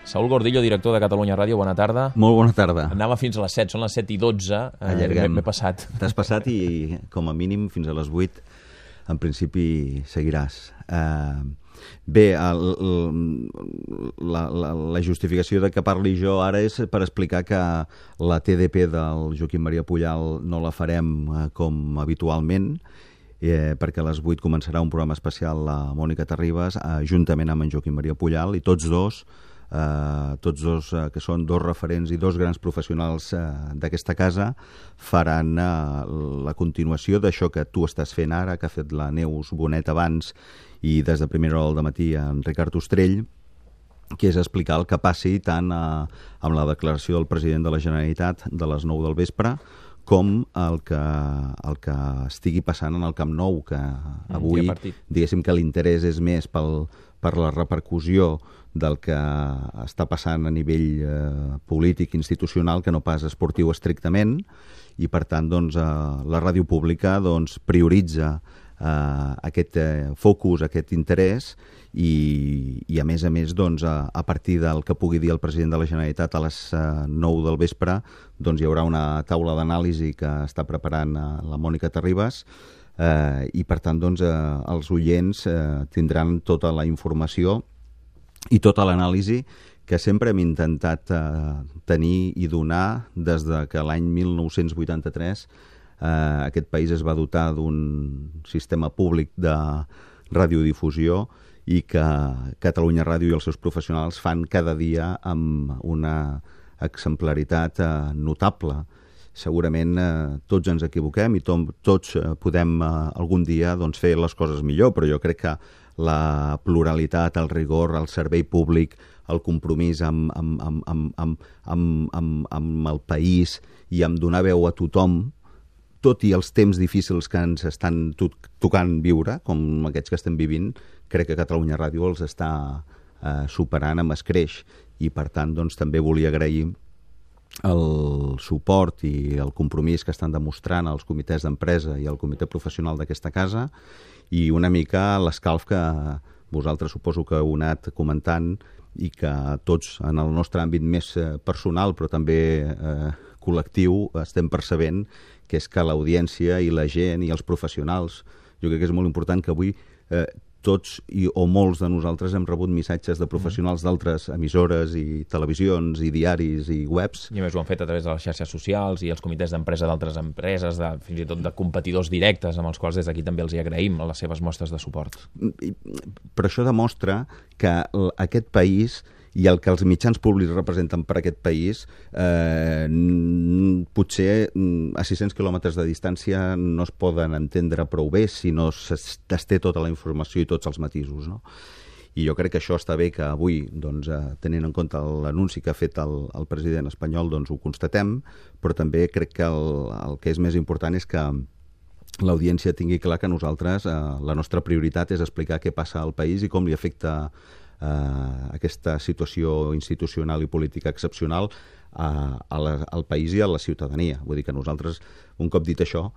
Saúl Gordillo, director de Catalunya Ràdio, bona tarda. Molt bona tarda. Anava fins a les 7, són les 7:12. Allarguem. M'he passat. T'has passat i, com a mínim, fins a les 8, en principi, seguiràs. Bé, la justificació de que parli jo ara és per explicar que la TDP del Joaquim Maria Pujal no la farem com habitualment, perquè a les 8 començarà un programa especial la Mònica Terribas, juntament amb en Joaquim Maria Pujal, i tots dos, que són dos referents i dos grans professionals d'aquesta casa, faran la continuació d'això que tu estàs fent ara, que ha fet la Neus Bonet abans i des de primera hora del matí en Ricard Ostrell, que és explicar el que passi tant amb la declaració del president de la Generalitat de les 9 del vespre com el que estigui passant en el Camp Nou, que avui, diguéssim que l'interès és més per la repercussió del que està passant a nivell polític i institucional que no pas esportiu estrictament, i per tant la ràdio pública prioritza aquest focus, aquest interès, i a més a partir del que pugui dir el president de la Generalitat a les 9 del vespre hi haurà una taula d'anàlisi que està preparant la Mònica Terribas, i per tant els oients tindran tota la informació i tota l'anàlisi que sempre hem intentat tenir i donar des que l'any 1983 aquest país es va dotar d'un sistema públic de radiodifusió i que Catalunya Ràdio i els seus professionals fan cada dia amb una exemplaritat notable. Segurament tots ens equivoquem i tots podem algun dia doncs, fer les coses millor, però jo crec que la pluralitat, el rigor, el servei públic, el compromís amb el país i amb donar veu a tothom, tot i els temps difícils que ens estan tocant viure, com aquests que estem vivint, crec que Catalunya Ràdio els està superant amb escreix, i per tant també volia agrair el suport i el compromís que estan demostrant els comitès d'empresa i el comitè professional d'aquesta casa, i una mica l'escalf que vosaltres suposo que heu anat comentant i que tots en el nostre àmbit més personal però també col·lectiu estem percebent, que és que l'audiència i la gent i els professionals, jo crec que és molt important que avui tots o molts de nosaltres hem rebut missatges de professionals d'altres emissores i televisions i diaris i webs. I a més ho han fet a través de les xarxes socials i els comitès d'empresa d'altres empreses, fins i tot de competidors directes, amb els quals des d'aquí també els hi agraïm les seves mostres de suport. Però això demostra que aquest país i el que els mitjans públics representen per aquest país, potser a 600 quilòmetres de distància no es poden entendre prou bé si no es té tota la informació i tots els matisos, no? I jo crec que això està bé que avui, tenint en compte l'anunci que ha fet el president espanyol, ho constatem, però també crec que el que és més important és que l'audiència tingui clar que nosaltres, la nostra prioritat és explicar què passa al país i com li afecta aquesta situació institucional i política excepcional al país i a la ciutadania. Vull dir que nosaltres, un cop dit això,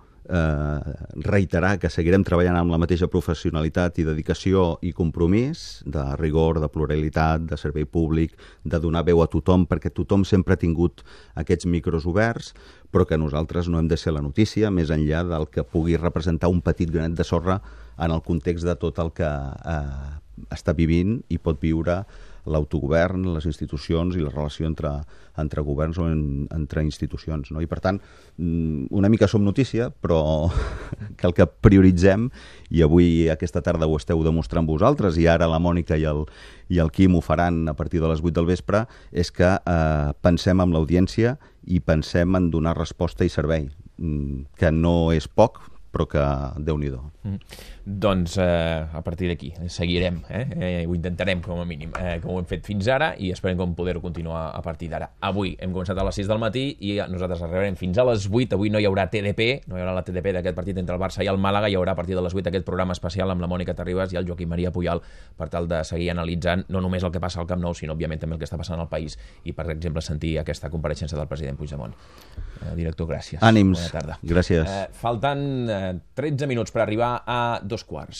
reiterar que seguirem treballant amb la mateixa professionalitat i dedicació i compromís, de rigor, de pluralitat, de servei públic, de donar veu a tothom, perquè tothom sempre ha tingut aquests micros oberts, però que nosaltres no hem de ser la notícia, més enllà del que pugui representar un petit granet de sorra en el context de tot el que està vivint i pot viure l'autogovern, les institucions i la relació entre governs o entre institucions, no? I per tant, una mica som notícia, però que el que prioritzem, i avui aquesta tarda ho esteu demostrant vosaltres, i ara la Mònica i el Quim ho faran a partir de les 8 del vespre, és que pensem en l'audiència i pensem en donar resposta i servei, que no és poc, però que Déu-n'hi-do. Doncs a partir d'aquí seguirem, ho intentarem com a mínim, com ho hem fet fins ara, i esperem com poder-ho continuar a partir d'ara. Avui hem començat a les 6 del matí i nosaltres arribarem fins a les 8. Avui no hi haurà TDP, no hi haurà la TDP d'aquest partit entre el Barça i el Màlaga, hi haurà a partir de les 8 aquest programa especial amb la Mònica Terribas i el Joaquim Maria Pujal per tal de seguir analitzant no només el que passa al Camp Nou, sinó òbviament també el que està passant al país i, per exemple, sentir aquesta compareixença del president Puigdemont. Director, gràcies. Ànims. Bona tarda. Gràcies. Falten 13 minuts per arribar a 2 quarts.